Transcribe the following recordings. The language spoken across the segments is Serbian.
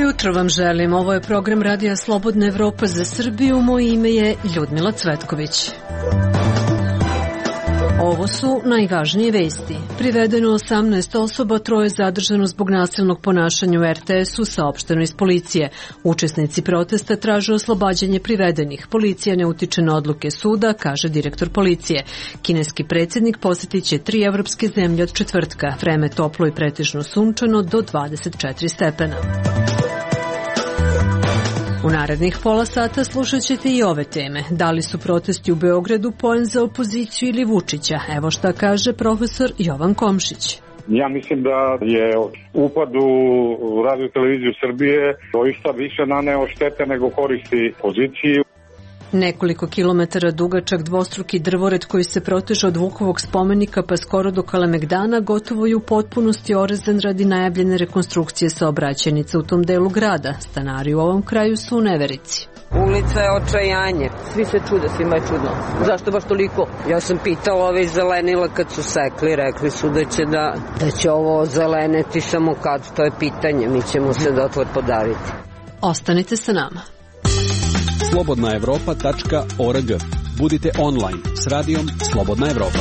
Jutro vam želim. Ovo je program Radija Slobodna Evropa za Srbiju. Moje ime je Ljudmila Cvetković. Ovo su najvažnije vesti. Privedeno 18 osoba, 3 zadržano zbog nasilnog ponašanja u RTS-u, saopšteno iz policije. Učesnici protesta traže oslobađanje privedenih. Policija ne utiče na odluke suda, kaže direktor policije. Kineski predsjednik posjetit će 3 evropske zemlje od četvrtka. Vreme toplo i pretežno sunčano do 24 stepena. U narednih pola sata slušat ćete i ove teme. Da li su protesti u Beogradu poen za opoziciju ili Vučića? Evo šta kaže profesor Jovan Komšić. Ja mislim da je upad u Radio televiziju Srbije doista više naneo štete nego koristi poziciji. Nekoliko kilometara dugačak dvostruki drvored koji se proteže od Vukovog spomenika pa skoro do Kalemegdana gotovo je u potpunosti orezan radi najavljene rekonstrukcije saobraćajnica u tom delu grada. Stanari u ovom kraju su u neverici. Ulica je očajanje. Svi se čude, svima je čudno. Zašto baš toliko? Ja sam pitala ove iz zelenila kad su sekli, rekli su da će ovo zeleneti samo kad, to je pitanje, mi ćemo se dotvor podaviti. Ostanite sa nama. slobodnaevropa.org. Budite online s radijom Slobodna Evropa.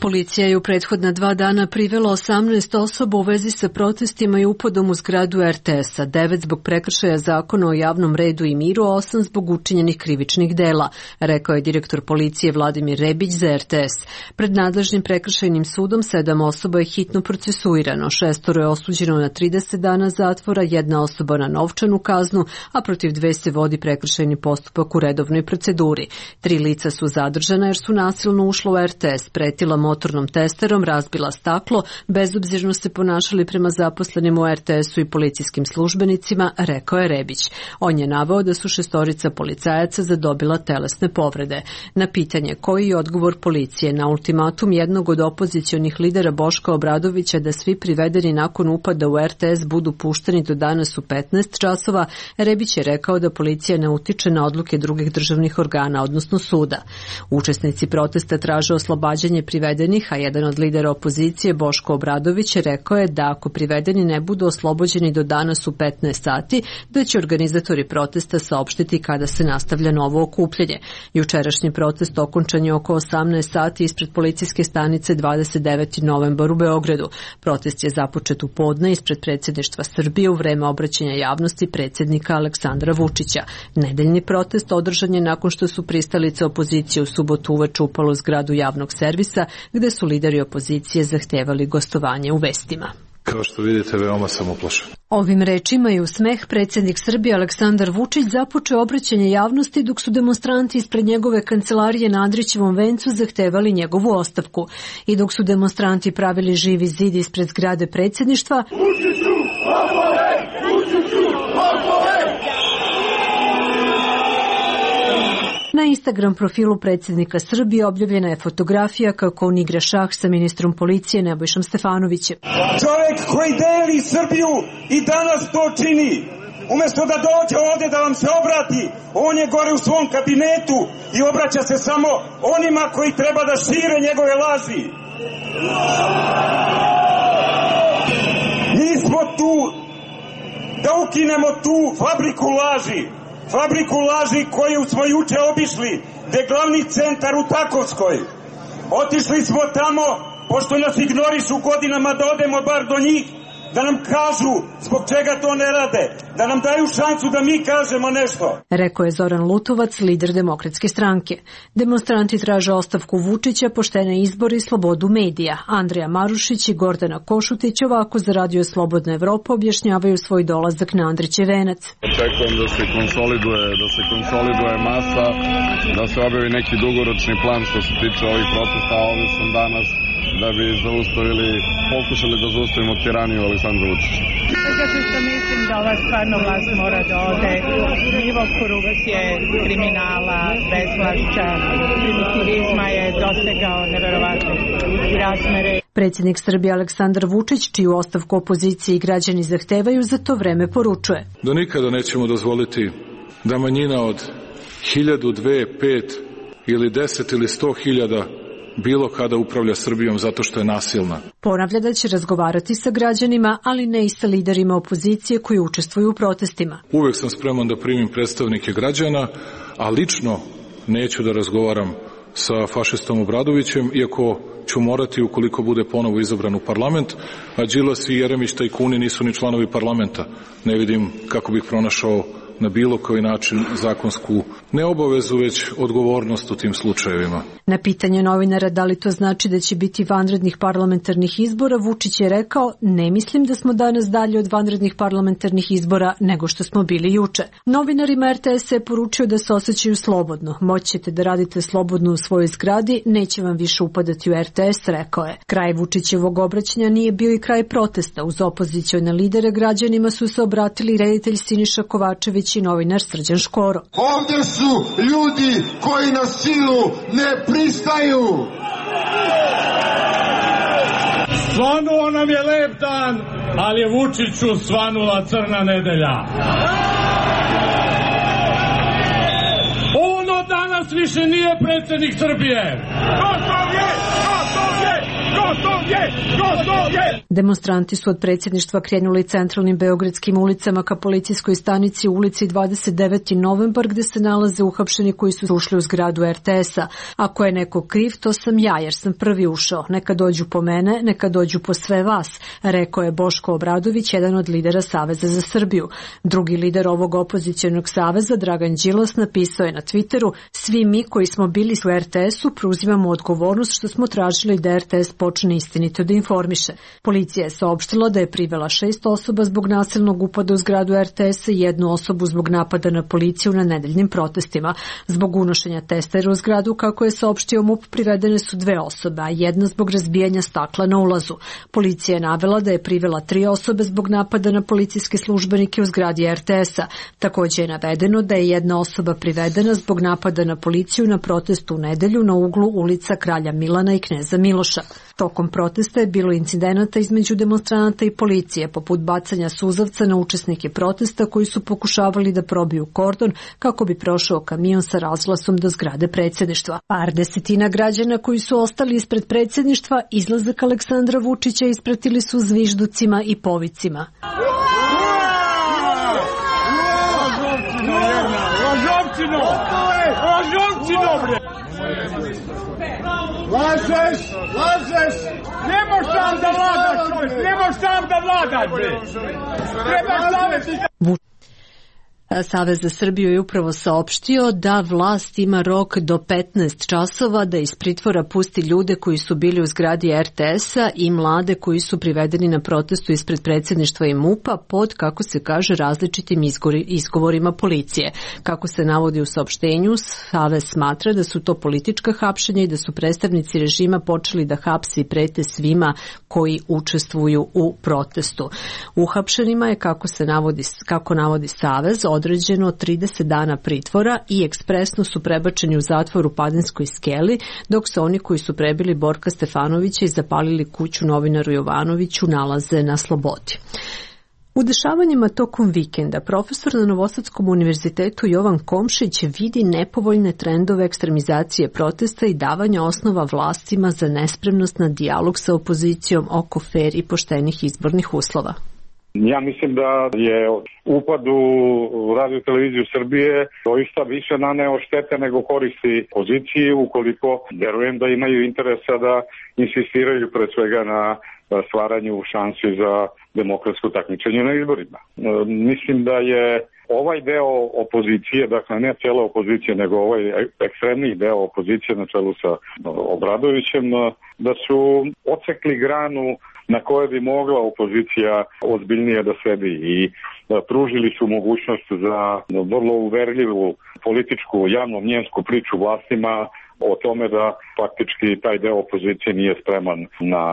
Policija je u prethodna 2 dana privela 18 osoba u vezi sa protestima i upadom u zgradu RTS-a, 9 zbog prekršaja zakona o javnom redu i miru, 8 zbog učinjenih krivičnih dela, rekao je direktor policije Vladimir Rebić za RTS. Pred nadležnim prekršajnim sudom 7 osoba je hitno procesuirano, 6 je osuđeno na 30 dana zatvora, 1 osoba na novčanu kaznu, a protiv 2 se vodi prekršajni postupak u redovnoj proceduri. 3 lica su zadržana jer su nasilno ušla u RTS, pretila motornom testerom, razbila staklo, bezobzirno se ponašali prema zaposlenim u RTS-u i policijskim službenicima, rekao je Rebić. On je naveo da su 6 policajaca zadobila telesne povrede. Na pitanje koji je odgovor policije na ultimatum jednog od opozicionih lidera Boška Obradovića da svi privedeni nakon upada u RTS budu pušteni do danas u 15 časova, Rebić je rekao da policija ne utiče na odluke drugih državnih organa, odnosno suda. Učesnici protesta traže oslobađanje privedenih, a jedan od lidera opozicije, Boško Obradović, rekao je da ako privedeni ne budu oslobođeni do danas u 15 sati, da će organizatori protesta saopštiti kada se nastavlja novo okupljanje. Jučerašnji protest okončan je oko 18 sati ispred policijske stanice 29. novembar u Beogradu. Protest je započet u podne ispred predsjedništva Srbije u vreme obraćanja javnosti predsjednika Aleksandra Vučića. Nedeljni protest održan je nakon što su pristalice opozicije u subotu uveče upali u zgradu javnog servisa, gde su lideri opozicije zahtevali gostovanje u vestima. Kao što vidite, veoma sam uplašen. Ovim rečima i u smeh predsjednik Srbije Aleksandar Vučić započeo obraćanje javnosti dok su demonstranti ispred njegove kancelarije na Andrićevom vencu zahtevali njegovu ostavku. I dok su demonstranti pravili živi zid ispred zgrade predsjedništva, na Instagram profilu predsjednika Srbije objavljena je fotografija kako on igra šah sa ministrom policije Nebojšom Stefanovićem. Čovjek koji deli Srbiju i danas to čini. Umjesto da dođe ovdje da vam se obrati, on je gore u svom kabinetu i obraća se samo onima koji treba da šire njegove laži. Mi smo tu da ukinemo tu fabriku laži. Fabriku laži koju smo juče obišli, gde je glavni centar u Takovskoj. Otišli smo tamo, pošto nas ignorišu godinama, da odemo bar do njih, da nam kažu zbog čega to ne rade, da nam daju šansu da mi kažemo nešto. Rekao je Zoran Lutovac, lider Demokratske stranke. Demonstranti traže ostavku Vučića, poštene izbore i slobodu medija. Andrija Marušić i Gordana Košutić ovako za Radio Slobodna Evropa objašnjavaju svoj dolazak na Andrićev venac. Očekujem da se konsoliduje masa, da se objavi neki dugoročni plan što se tiče ovih protesta. Ovdje sam danas da bi pokušali da zaustavimo tiraniju Aleksandra Vučića. Zato što mislim da ova stvarno vlast mora da ode. Nivo korupcije, kriminala, bezvlašća, primitivizma je dosegao neverovatne razmere. Predsjednik Srbije Aleksandar Vučić, čiju ostavku opozicije i građani zahtevaju, za to vreme poručuje: Da nikada nećemo dozvoliti da manjina od 1000, 2, 5 ili 10 ili 100.000 bilo kada upravlja Srbijom zato što je nasilna. Ponavlja da će razgovarati sa građanima, ali ne i sa liderima opozicije koji učestvuju u protestima. Uvek sam spreman da primim predstavnike građana, a lično neću da razgovaram sa fašistom Obradovićem, iako ću morati ukoliko bude ponovo izabran u parlament, a Đilas i Jeremić tajkuni nisu ni članovi parlamenta. Ne vidim kako bih pronašao na bilo koji način zakonsku ne obavezu, već odgovornost u tim slučajevima. Na pitanje novinara da li to znači da će biti vanrednih parlamentarnih izbora, Vučić je rekao: ne mislim da smo danas dalje od vanrednih parlamentarnih izbora nego što smo bili juče. Novinarima RTS je poručio da se osjećaju slobodno. Moći ćete da radite slobodno u svojoj zgradi, neće vam više upadati u RTS, rekao je. Kraj Vučićevog obraćanja nije bio i kraj protesta. Uz opozicione lidere građanima su se obratili reditelj Siniša Kovačević i novinar Srđan Škoro. Ovdje su ljudi koji na silu ne pristaju. Svanuo nam je lep dan, ali je Vučiću svanula crna nedelja. On od danas više nije predsjednik Srbije. Demonstranti su od predsjedništva krenuli centralnim beogradskim ulicama ka policijskoj stanici u ulici 29. novembar, gde se nalaze uhapšeni koji su ušli u zgradu RTS-a. Ako je neko kriv, to sam ja, jer sam prvi ušao. Neka dođu po mene, neka dođu po sve vas, rekao je Boško Obradović, jedan od lidera Saveza za Srbiju. Drugi lider ovog opozicionog saveza, Dragan Đilas, napisao je na Twitteru: svi mi koji smo bili u RTS-u preuzimamo odgovornost što smo tražili da RTS počne istinito da informiše. Policija je saopštila da je privela 6 osoba zbog nasilnog upada u zgradu RTS-a i 1 osobu zbog napada na policiju na nedeljnim protestima. Zbog unošenja testera u zgradu, kako je saopštio MUP, privedene su 2 osobe, a 1 zbog razbijanja stakla na ulazu. Policija je navela da je privela 3 osobe zbog napada na policijske službenike u zgradi RTS-a. Također je navedeno da je 1 osoba privedena zbog napada na policiju na protestu u nedelju na uglu ulica Kralja Milana i Kneza Miloša. Tokom protesta je bilo incidenata između demonstranata i policije, poput bacanja suzavca na učesnike protesta koji su pokušavali da probiju kordon kako bi prošao kamion sa razglasom do zgrade predsjedništva. Par desetina građana koji su ostali ispred predsjedništva izlazak Aleksandra Vučića ispratili su zvižducima i povicima. Lažeš! Nemoš tam da vladaš, čovjek! Nemoš tam da vladaš, bre! Trebaš savjeti! Savez za Srbiju je upravo saopštio da vlast ima rok do 15 časova da iz pritvora pusti ljude koji su bili u zgradi RTS-a i mlade koji su privedeni na protestu ispred predsjedništva i MUP-a pod, kako se kaže, različitim izgovorima policije. Kako se navodi u saopštenju, Savez smatra da su to politička hapšenja i da su predstavnici režima počeli da hapse i prete svima koji učestvuju u protestu. Uhapšenima je, kako navodi Savez, određeno 30 dana pritvora i ekspresno su prebačeni u zatvor u Padinskoj skeli, dok se oni koji su prebili Borka Stefanovića i zapalili kuću novinaru Jovanoviću nalaze na slobodi. U dešavanjima tokom vikenda profesor na Novosadskom univerzitetu Jovan Komšić vidi nepovoljne trendove ekstremizacije protesta i davanja osnova vlastima za nespremnost na dijalog sa opozicijom oko fer i poštenih izbornih uslova. Ja mislim da je upad u Radio televiziju Srbije doista više naneo štete nego koristi poziciji, ukoliko verujem da imaju interesa da insistiraju pre svega na stvaranju šansi za demokratsko takmičenje na izborima. Mislim da je ovaj deo opozicije, dakle ne cijela opozicija, nego ovaj ekstremni deo opozicije na čelu sa Obradovićem, da su odsekli granu na kojoj bi mogla opozicija ozbiljnije da sedi i pružili su mogućnost za vrlo uverljivu političku javno-mnjensku priču vlastima o tome da faktički taj deo opozicije nije spreman na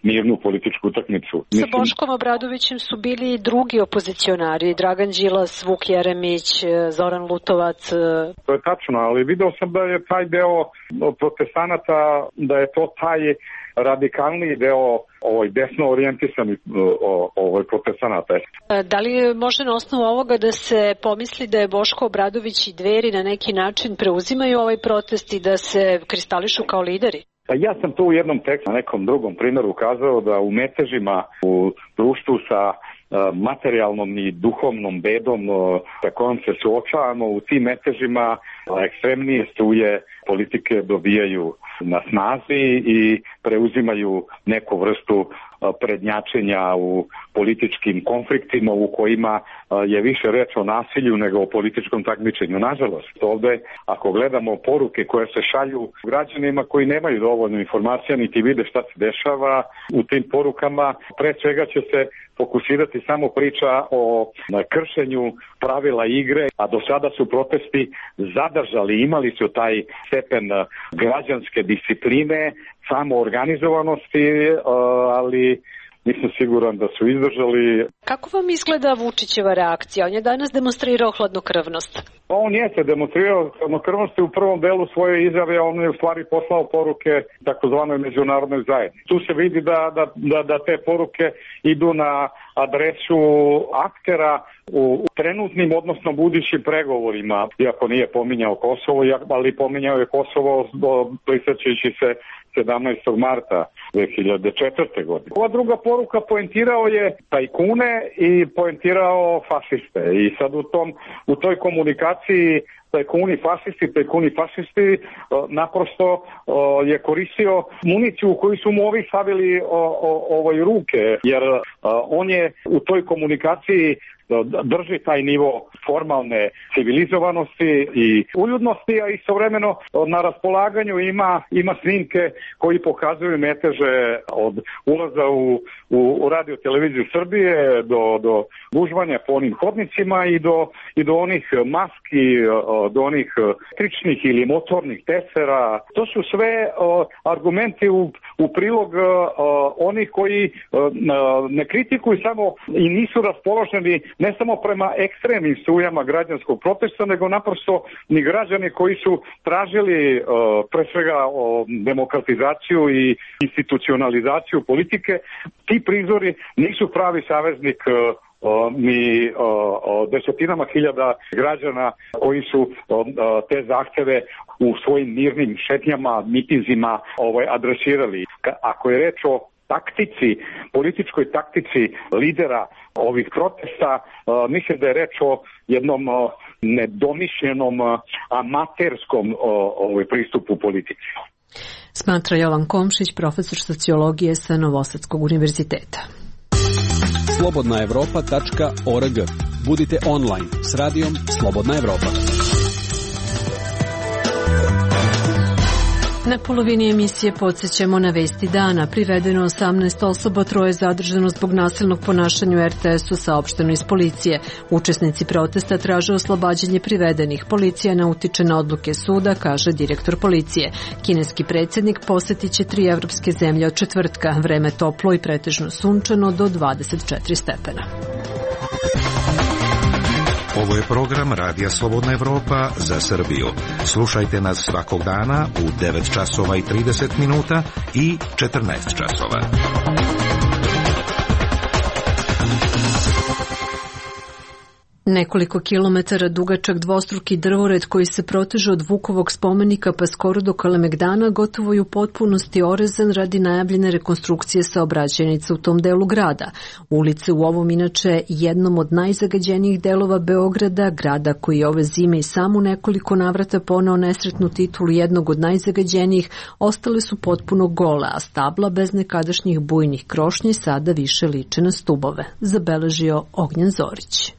mirnu političku utakmicu. Sa Boškom Obradovićem su bili i drugi opozicionari, Dragan Đilas, Vuk Jeremić, Zoran Lutovac. To je tačno, ali video sam da je taj deo protestanata, da je to taj radikalniji deo desno orijentisanih protestanata. Da li može na osnovu ovoga da se pomisli da je Boško Obradović i Dveri na neki način preuzimaju ovaj protest i da se kristališu kao lideri? Ja sam to u jednom tekstu, na nekom drugom primjeru ukazao da u metežima u društvu sa materijalnom i duhovnom bedom sa kojom se suočavamo, u tim metežima ekstremnije struje politike dobijaju na snazi i preuzimaju neku vrstu prednjačenja u političkim konfliktima u kojima je više reč o nasilju nego o političkom takmičenju. Nažalost, ovde ako gledamo poruke koje se šalju građanima koji nemaju dovoljno informacija niti vide šta se dešava u tim porukama, pre svega će se fokusirati samo priča o kršenju pravila igre, a do sada su protesti zadržali, imali su taj stepen građanske discipline, samoorganizovanosti, ali nisam siguran da su izdržali. Kako vam izgleda Vučićeva reakcija? On je danas demonstrirao hladnokrvnost. On jeste demonstrirao hladnokrvnost u prvom delu svoje izjave, on je u stvari poslao poruke takozvanoj međunarodnoj zajednici. Tu se vidi da te poruke idu na adresu aktera u trenutnim, odnosno budućim pregovorima, iako nije pominjao Kosovo, ali pominjao je Kosovo prisjećajući se 17. marta 2004. godine. Ova druga poruka poentirao je tajkune i poentirao fašiste. I sad u toj komunikaciji tajkuni fašisti naprosto je koristio municiju koju su mu ovi stavili ruke, jer on je u toj komunikaciji drži taj nivo formalne civilizovanosti i uljudnosti, a istovremeno na raspolaganju ima snimke koji pokazuju meteže od ulaza u radio televiziju Srbije do gužvanja po onim hodnicima i do onih maski, do onih električnih ili motornih tesera. To su sve argumenti u prilog onih koji ne kritikuju samo i nisu raspoloženi ne samo prema ekstremnim strujama građanskog protesta, nego naprosto ni građani koji su tražili pre svega demokratizaciju i institucionalizaciju politike. Ti prizori nisu pravi saveznik ni desetinama hiljada građana koji su te zahteve u svojim mirnim šetnjama, mitinzima adresirali. Ako je reč o političkoj taktici lidera ovih protesta, mislim da je reč o jednom nedomišljenom amaterskom pristupu politici. Smatra Jovan Komšić, profesor sociologije sa Novosadskog univerziteta. Slobodnaevropa.org. Budite online s radijom Slobodna Evropa. Na polovini emisije podsjećamo na vesti dana. Privedeno 18 osoba, 3 zadržano zbog nasilnog ponašanja u RTS-u, saopšteno iz policije. Učesnici protesta traže oslobađanje privedenih. Policija ne utiče na odluke suda, kaže direktor policije. Kineski predsjednik posetit će 3 evropske zemlje od četvrtka. Vreme toplo i pretežno sunčano do 24 stepena. Ovo je program Radija Slobodna Evropa za Srbiju. Slušajte nas svakog dana u 9 časova i 30 minuta i 14 časova. Nekoliko kilometara dugačak dvostruki drvored koji se proteže od Vukovog spomenika pa skoro do Kalemegdana gotovo je u potpunosti orezan radi najavljene rekonstrukcije saobraćajnica u tom delu grada. Ulice u ovom inače jednom od najzagađenijih delova Beograda, grada koji je ove zime i samo nekoliko navrata poneo nesretnu titulu jednog od najzagađenijih, ostale su potpuno gole, a stabla bez nekadašnjih bujnih krošnji sada više liče na stubove, zabeležio Ognjen Zorić.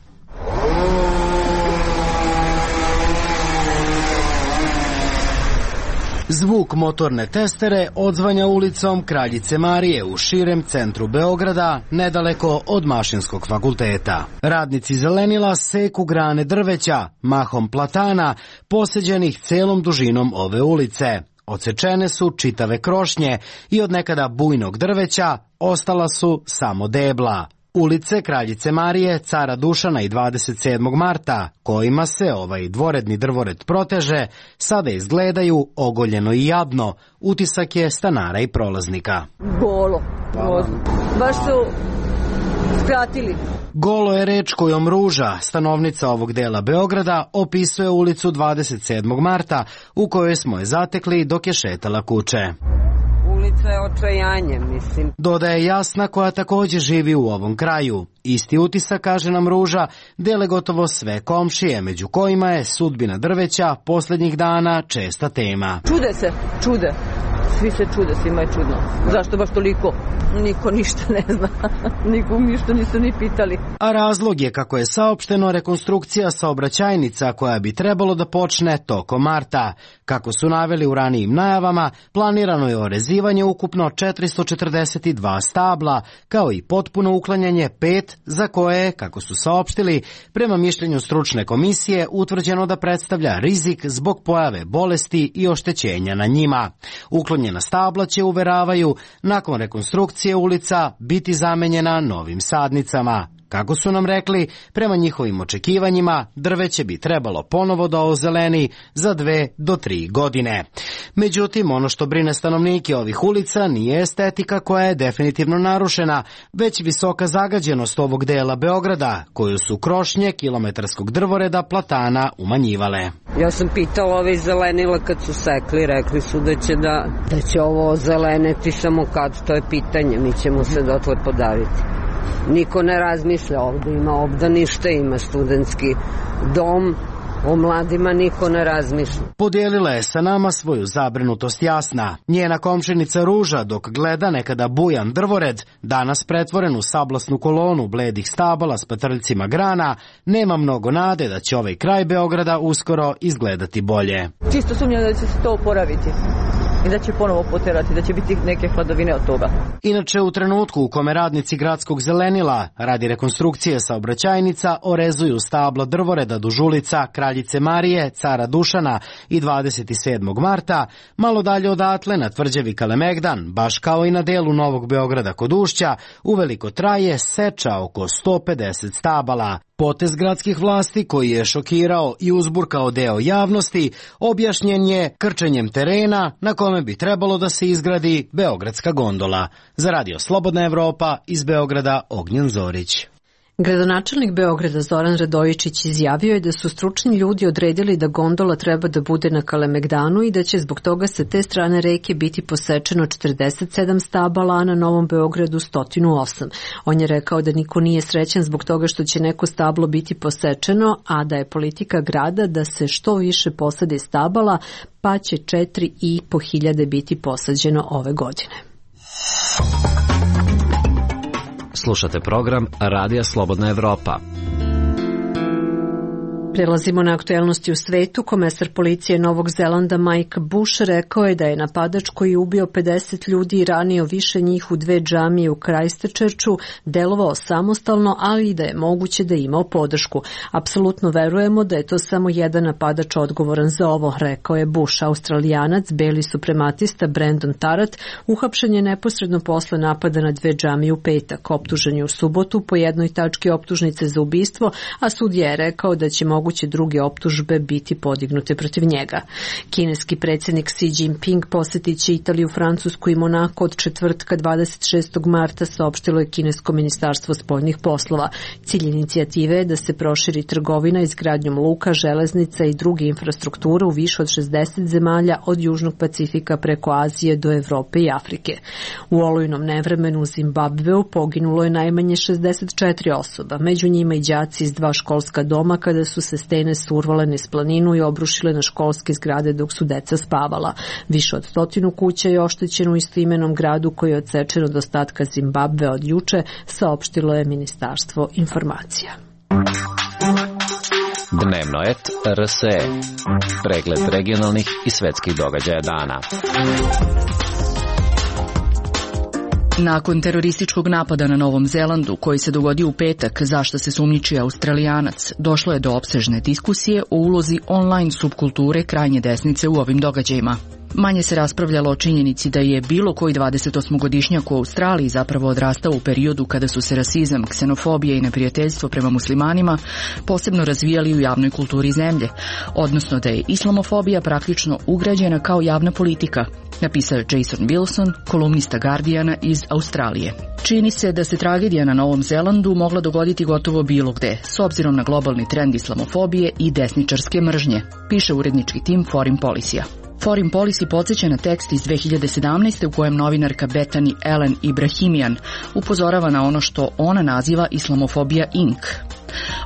Zvuk motorne testere odzvanja ulicom Kraljice Marije u širem centru Beograda, nedaleko od Mašinskog fakulteta. Radnici zelenila seku grane drveća, mahom platana, poseđenih celom dužinom ove ulice. Odsečene su čitave krošnje i od nekada bujnog drveća ostala su samo debla. Ulice Kraljice Marije, Cara Dušana i 27. marta, kojima se ovaj dvoredni drvored proteže, sada izgledaju ogoljeno i jadno. Utisak je stanara i prolaznika. Golo. Baš su skratili. Golo je reč kojom Ruža, stanovnica ovog dela Beograda, opisuje ulicu 27. marta u kojoj smo je zatekli dok je šetala kuće. Ulica je očajanje, mislim. Dodaje Jasna, koja također živi u ovom kraju. Isti utisak, kaže nam Ruža, dele gotovo sve komšije, među kojima je sudbina drveća posljednjih dana česta tema. Čude. Svi se čude, svima je čudno. Zašto baš toliko? Niko ništa ne zna. Nikom ništa nisu ni pitali. A razlog je, kako je saopšteno, rekonstrukcija saobraćajnica koja bi trebalo da počne tokom marta. Kako su naveli u ranijim najavama, planirano je orezivanje ukupno 442 stabla, kao i potpuno uklanjanje 5 za koje, kako su saopštili, prema mišljenju stručne komisije utvrđeno da predstavlja rizik zbog pojave bolesti i oštećenja na njima. Uklonjena stabla će, uveravaju, nakon rekonstrukcije ulica biti zamenjena novim sadnicama. Kako su nam rekli, prema njihovim očekivanjima, drveće bi trebalo ponovo da ozeleni za 2 do 3 godine. Međutim, ono što brine stanovnike ovih ulica nije estetika koja je definitivno narušena, već visoka zagađenost ovog dela Beograda, koju su krošnje kilometarskog drvoreda platana umanjivale. Ja sam pitala ove zelenila kad su sekli, rekli su da će ovo zeleneti, samo kad, to je pitanje, mi ćemo se dotle podaviti. Niko ne razmišlja, ovde ima obdanište, ima studentski dom, o mladima niko ne razmišlja. Podijelila je sa nama svoju zabrinutost Jasna. Njena komšinica Ruža, dok gleda nekada bujan drvored, danas pretvoren u sablasnu kolonu bledih stabala s patrljcima grana, nema mnogo nade da će ovaj kraj Beograda uskoro izgledati bolje. Čisto sumnjam da će se to oporaviti i da će ponovo poterati, da će biti neke hladovine od toga. Inače, u trenutku u kome radnici gradskog zelenila radi rekonstrukcije saobraćajnica orezuju stabla drvoreda duž ulica Kraljice Marije, Cara Dušana i 27. marta, malo dalje odatle na tvrđavi Kalemegdan, baš kao i na delu Novog Beograda kod Ušća, uveliko traje seča oko 150 stabala. Potez gradskih vlasti, koji je šokirao i uzburkao deo javnosti, objašnjen je krčenjem terena na kome bi trebalo da se izgradi beogradska gondola. Za Radio Slobodna Evropa, iz Beograda, Ognjen Zorić. Gradonačelnik Beograda Zoran Radojičić izjavio je da su stručni ljudi odredili da gondola treba da bude na Kalemegdanu i da će zbog toga sa te strane reke biti posečeno 47 stabala, a na Novom Beogradu 108. On je rekao da niko nije srećan zbog toga što će neko stablo biti posečeno, a da je politika grada da se što više posadi stabala, pa će 4.500 biti posađeno ove godine. Slušate program Radija Slobodna Evropa. Prelazimo na aktuelnosti u svetu. Komesar policije Novog Zelanda Mike Bush rekao je da je napadač koji je ubio 50 ljudi i ranio više njih u 2 džamije u Christchurchu delovao samostalno, ali i da je moguće da je imao podršku. Apsolutno verujemo da je to samo jedan napadač odgovoran za ovo, rekao je Bush. Australijanac, beli suprematista Brandon Tarrant, uhapšen je neposredno posle napada na 2 džamije u petak. Optužen je u subotu po jednoj tački optužnice za ubistvo, a sudija je rekao da će moguće druge optužbe biti podignute protiv njega. Kineski predsjednik Xi Jinping posjetit će Italiju, Francusku i Monako od četvrtka 26. marta, saopštilo je kinesko ministarstvo spoljnih poslova. Cilj inicijative je da se proširi trgovina izgradnjom luka, železnica i druge infrastrukture u više od 60 zemalja od Južnog Pacifika preko Azije do Evrope i Afrike. U olujnom nevremenu u Zimbabveu poginulo je najmanje 64 osoba, među njima i đaci iz 2 školska doma kada su se stene survale niz planinu i obrušile na školske zgrade dok su deca spavala. Više od 100 kuća je oštećeno u istoimenom gradu koji je odsečen od ostatka Zimbabve od juče, saopštilo je Ministarstvo informacija. Dnevno et RSE. Pregled regionalnih i svetskih događaja dana. Nakon terorističkog napada na Novom Zelandu, koji se dogodio u petak, za što se sumnjiči Australijanac, došlo je do opsežne diskusije o ulozi online subkulture krajnje desnice u ovim događajima. Manje se raspravljalo o činjenici da je bilo koji 28-godišnjak u Australiji zapravo odrastao u periodu kada su se rasizam, ksenofobija i neprijateljstvo prema muslimanima posebno razvijali u javnoj kulturi zemlje, odnosno da je islamofobija praktično ugrađena kao javna politika, napisao je Jason Wilson, kolumnista Guardiana iz Australije. Čini se da se tragedija na Novom Zelandu mogla dogoditi gotovo bilo gde, s obzirom na globalni trend islamofobije i desničarske mržnje, piše urednički tim Foreign Policy-a. Foreign Policy podsjeća na tekst iz 2017. u kojem novinarka Bethany Ellen Ibrahimian upozorava na ono što ona naziva Islamofobija Inc.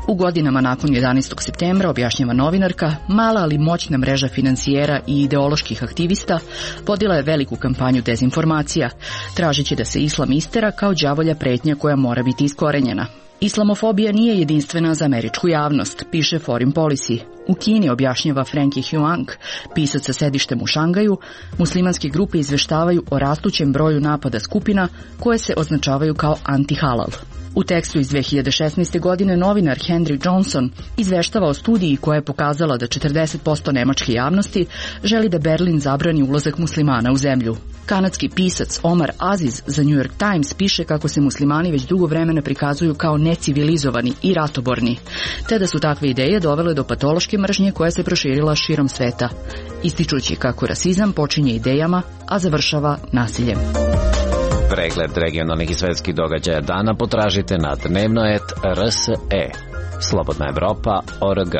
U godinama nakon 11. septembra, objašnjava novinarka, mala ali moćna mreža finansijera i ideoloških aktivista vodila je veliku kampanju dezinformacija, tražeći da se islam istera kao đavolja pretnja koja mora biti iskorenjena. Islamofobija nije jedinstvena za američku javnost, piše Foreign Policy. U Kini, objašnjava Frankie Huang, pisac sa sedištem u Šangaju, muslimanske grupe izveštavaju o rastućem broju napada skupina koje se označavaju kao anti-halal. U tekstu iz 2016. godine novinar Henry Johnson izveštava o studiji koja je pokazala da 40% nemačke javnosti želi da Berlin zabrani ulazak muslimana u zemlju. Kanadski pisac Omar Aziz za New York Times piše kako se muslimani već dugo vremena prikazuju kao necivilizovani i ratoborni, te da su takve ideje dovele do patološke mržnje koja se proširila širom sveta, ističući kako rasizam počinje idejama, a završava nasiljem. Pregled regionalnih i svetskih događaja dana potražite na dnevnoet.rse. Slobodna Evropa.org.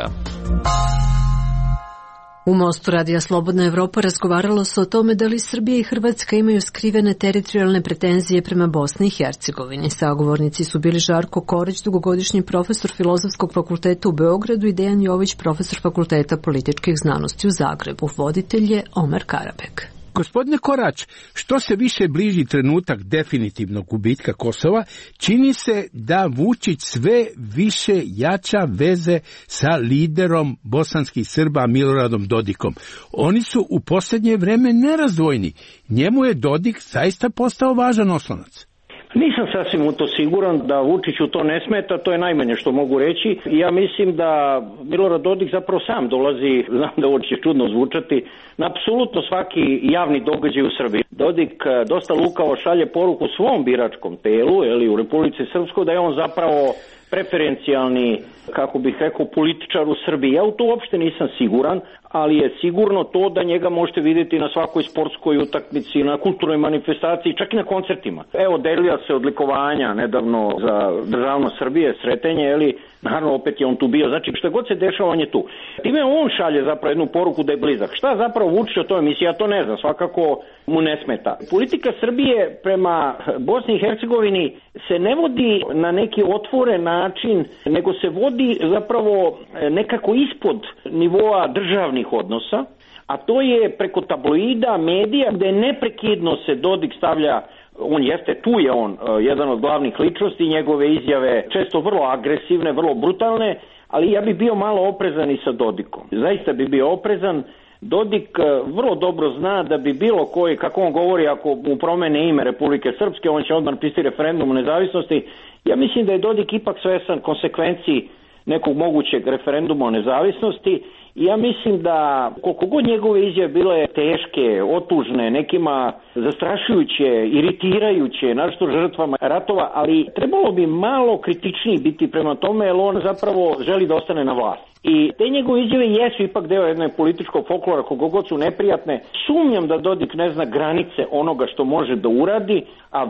U Mostu Radija Slobodna Evropa razgovaralo se o tome da li Srbija i Hrvatska imaju skrivene teritorijalne pretenzije prema Bosni i Hercegovini. Sagovornici su bili Žarko Koreć, dugogodišnji profesor Filozofskog fakulteta u Beogradu, i Dejan Jović, profesor Fakulteta političkih znanosti u Zagrebu. Voditelj je Omer Karabek. Gospodine Korać, što se više bliži trenutak definitivnog gubitka Kosova, čini se da Vučić sve više jača veze sa liderom bosanskih Srba Miloradom Dodikom. Oni su u posljednje vreme nerazdvojni. Njemu je Dodik zaista postao važan oslonac. Nisam sasvim u to siguran da Vučiću to ne smeta, to je najmanje što mogu reći. Ja mislim da Milorad Dodik zapravo sam dolazi, znam da ovo će čudno zvučati, na apsolutno svaki javni događaj u Srbiji. Dodik dosta lukavo šalje poruku svom biračkom telu, u Republici Srpskoj, da je on zapravo preferencijalni, kako bih rekao, političar u Srbiji. Ja u to uopšte nisam siguran, ali je sigurno to da njega možete vidjeti na svakoj sportskoj utakmici, na kulturnoj manifestaciji, čak i na koncertima. Evo, delila se odlikovanja nedavno za državnost Srbije, Sretenje, naravno opet je on tu bio. Znači, šta god se dešava, on je tu. Time on šalje zapravo jednu poruku da je blizak. Šta zapravo Vučić o toj emisiji, ja to ne znam, svakako mu ne smeta. Politika Srbije prema Bosni i Hercegovini se ne vodi na neki otvoren način, nego se vodi zapravo nekako ispod nivoa državnih odnosa, a to je preko tabloida, medija, gde neprekidno se Dodik stavlja. On jeste, tu je on jedan od glavnih ličnosti, njegove izjave često vrlo agresivne, vrlo brutalne, ali ja bih bio malo oprezan i sa Dodikom. Zaista bi bio oprezan. Dodik vrlo dobro zna da bi bilo koji, kako on govori, ako mu promene ime Republike Srpske, on će odmah napisati referendum o nezavisnosti. Ja mislim da je Dodik ipak svesan konsekvenciji nekog mogućeg referenduma o nezavisnosti. I ja mislim da koliko god njegove izjave bile teške, otužne, nekima zastrašujuće, iritirajuće, našto žrtvama ratova, ali trebalo bi malo kritičniji biti prema tome, jer on zapravo želi da ostane na vlasti. I te njegove izjave jesu ipak deo jedne političkog folklora, koliko god su neprijatne. Sumnjam da Dodik ne zna granice onoga što može da uradi, a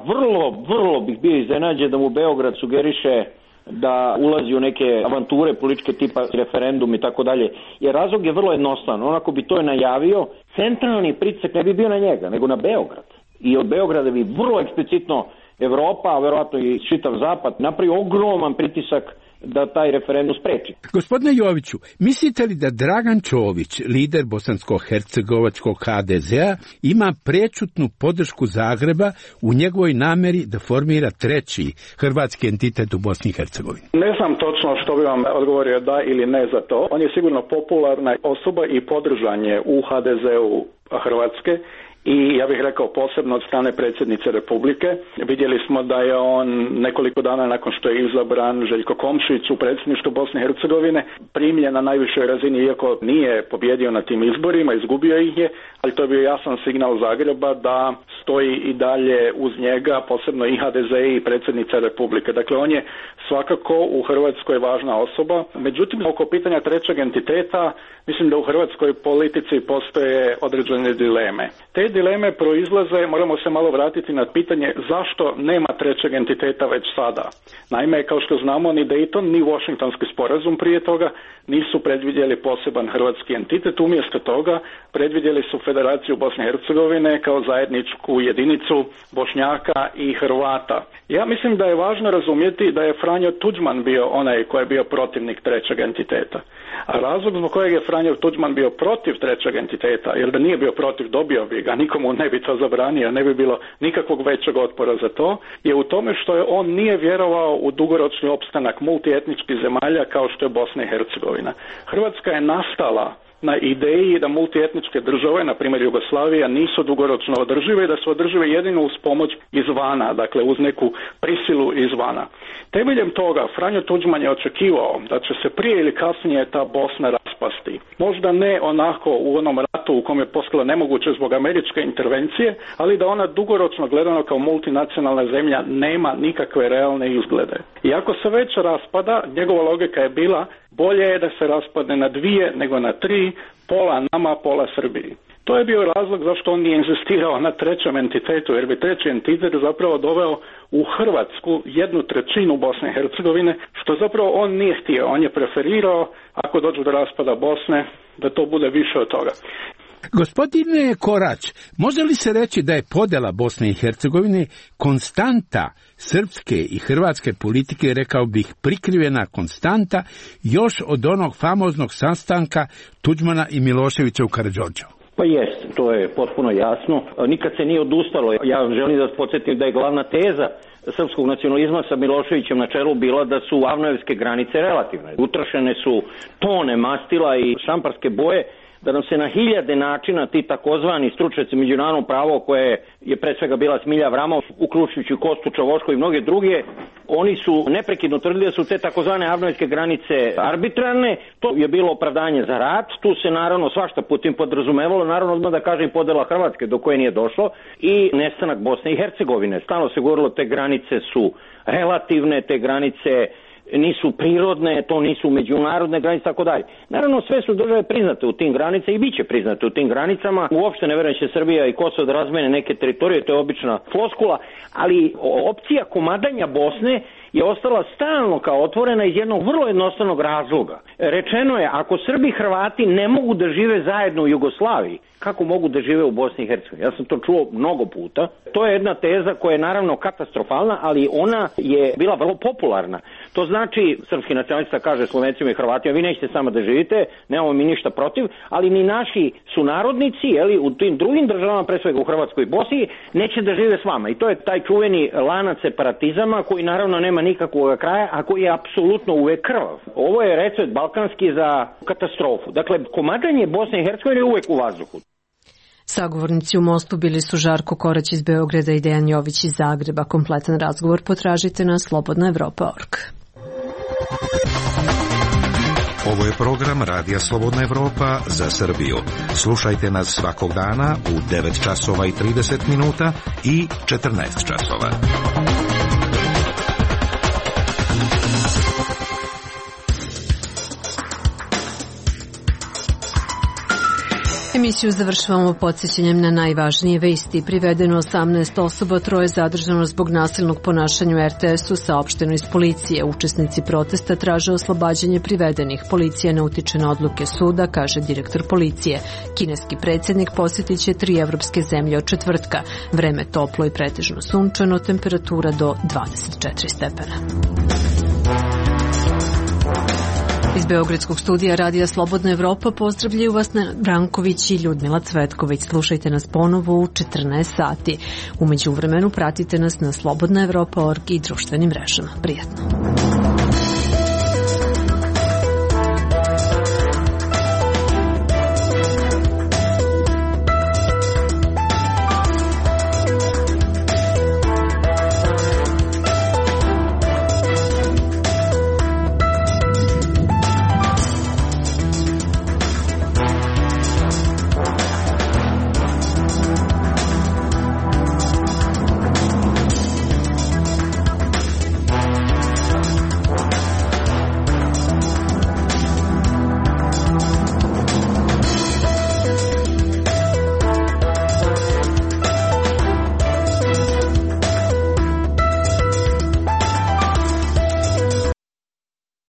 vrlo bih bio iznenađen da mu Beograd sugeriše da ulazi u neke avanture političke tipa referendum i tako dalje. Jer razlog je vrlo jednostavan. Onako bi to je najavio, centralni pritisak ne bi bio na njega, nego na Beograd. I od Beograda bi vrlo eksplicitno Evropa, a verovatno i čitav Zapad, napravi ogroman pritisak da taj referendum spreči. Gospodine Joviću, mislite li da Dragan Čović, lider bosansko-hercegovačkog HDZ-a, ima prečutnu podršku Zagreba u njegovoj nameri da formira treći hrvatski entitet u Bosni i Hercegovini? Ne znam točno što bi vam odgovorio da ili ne za to. On je sigurno popularna osoba i podržan je u HDZ-u Hrvatske i ja bih rekao posebno od strane predsjednice Republike. Vidjeli smo da je on nekoliko dana nakon što je izabran Željko Komšić u predsjedništvu Bosne i Hercegovine primljen na najvišoj razini, iako nije pobjedio na tim izborima, izgubio ih je, ali to je bio jasan signal Zagreba da stoji i dalje uz njega, posebno i HDZ i predsjednica Republike. Dakle, on je svakako u Hrvatskoj važna osoba. Međutim, oko pitanja trećeg entiteta, mislim da u hrvatskoj politici postoje određene dileme. Te dileme proizlaze, moramo se malo vratiti na pitanje zašto nema trećeg entiteta već sada. Naime, kao što znamo, ni Dayton, ni Washingtonski sporazum prije toga nisu predvidjeli poseban hrvatski entitet, umjesto toga predvidjeli su Federaciju Bosne i Hercegovine kao zajedničku jedinicu Bošnjaka i Hrvata. Ja mislim da je važno razumjeti da je Franjo Tuđman bio onaj koji je bio protivnik trećeg entiteta. A razlog zbog kojeg je Franjo Tuđman bio protiv trećeg entiteta, jer da nije bio protiv, dobio bi ga, nikomu ne bi to zabranio, ne bi bilo nikakvog većeg otpora za to, je u tome što je on nije vjerovao u dugoročni opstanak multietničkih zemalja kao što je Bosna i Hercegovina. Hrvatska je nastala na ideji da multietničke države, na primjer Jugoslavija, nisu dugoročno održive i da su održive jedino uz pomoć izvana, dakle uz neku prisilu izvana. Temeljem toga Franjo Tuđman je očekivao da će se prije ili kasnije ta Bosna raspasti. Možda ne onako u onom ratu u kom je postalo nemoguće zbog američke intervencije, ali da ona dugoročno gledano kao multinacionalna zemlja nema nikakve realne izglede. I ako se već raspada, njegova logika je bila bolje je da se raspadne na 2 nego na 3, pola nama, pola Srbiji. To je bio razlog zašto on nije inzistirao na trećem entitetu, jer bi treći entitet zapravo doveo u Hrvatsku 1/3 Bosne i Hercegovine, što zapravo on nije htio. On je preferirao, ako dođu do raspada Bosne, da to bude više od toga. Gospodine Korać, može li se reći da je podjela Bosne i Hercegovine konstanta srpske i hrvatske politike, rekao bih prikrivena konstanta, još od onog famoznog sastanka Tuđmana i Miloševića u Karađorđevu? Pa jest, to je potpuno jasno. Nikad se nije odustalo. Ja želim da podsjetim da je glavna teza srpskog nacionalizma sa Miloševićem na čelu bila da su avnojevske granice relativne. Utrošene su tone mastila i šamparske boje, da nam se na hiljade načina ti takozvani stručnjaci međunarodno pravo, koje je pre svega bila Smilja Avramov, uključujući Kostu Čavoško i mnoge druge, oni su neprekidno tvrdili da su te takozvane avnojevske granice arbitrarne. To je bilo opravdanje za rat. Tu se naravno svašta putem podrazumevalo, naravno odmah da kažem podela Hrvatske do koje nije došlo i nestanak Bosne i Hercegovine. Stalno se govorilo te granice su relativne, te granice nisu prirodne, to nisu međunarodne granice, tako dalje. Naravno, sve su države priznate u tim granicama i bit će priznate u tim granicama. Uopšte ne verujem će Srbija i Kosovo da razmene neke teritorije, to je obična floskula, ali opcija komadanja Bosne je ostala stalno kao otvorena iz jednog vrlo jednostavnog razloga. Rečeno je, ako Srbi i Hrvati ne mogu da žive zajedno u Jugoslaviji, kako mogu da žive u Bosni i Hercegovini? Ja sam to čuo mnogo puta. To je jedna teza koja je naravno katastrofalna, ali ona je bila vrlo popularna. To znači, srpski nacionalista kaže Slovencima i Hrvatima, vi nećete samo da živite, nemamo mi ništa protiv, ali ni naši sunarodnici, u tim drugim državama, pre svega u Hrvatskoj i Bosni, neće da žive s vama. I to je taj čuveni lanac separatizama koji naravno nema nikakvog kraja, a koji je apsolutno uvek krvav. Ovo je recept balkanski za katastrofu. Dakle, komadanje Bosne i Hercegovine je uvek u vazduhu. Sagovornici u Mostu bili su Žarko Korać iz Beograda i Dejan Jović iz Zagreba. Kompletan razgovor potražite na slobodnaevropa.org. Ovo je program Radija Slobodna Evropa za Srbiju. Slušajte nas svakog dana u 9 časova i 30 minuta i 14 časova. Emisiju završavamo podsjećanjem na najvažnije vesti. Privedeno 18 osoba, 3 zadržano zbog nasilnog ponašanja u RTS-u, saopšteno iz policije. Učesnici protesta traže oslobađanje privedenih. Policija ne utiče na odluke suda, kaže direktor policije. Kineski predsjednik posjetit će 3 evropske zemlje od četvrtka. Vreme toplo i pretežno sunčano, temperatura do 24 stepena. Iz Beogradskog studija Radija Slobodna Evropa pozdravljaju vas Branković i Ljudmila Cvetković. Slušajte nas ponovo u 14 sati. U međuvremenu pratite nas na slobodnaevropa.org i društvenim mrežama. Prijatno.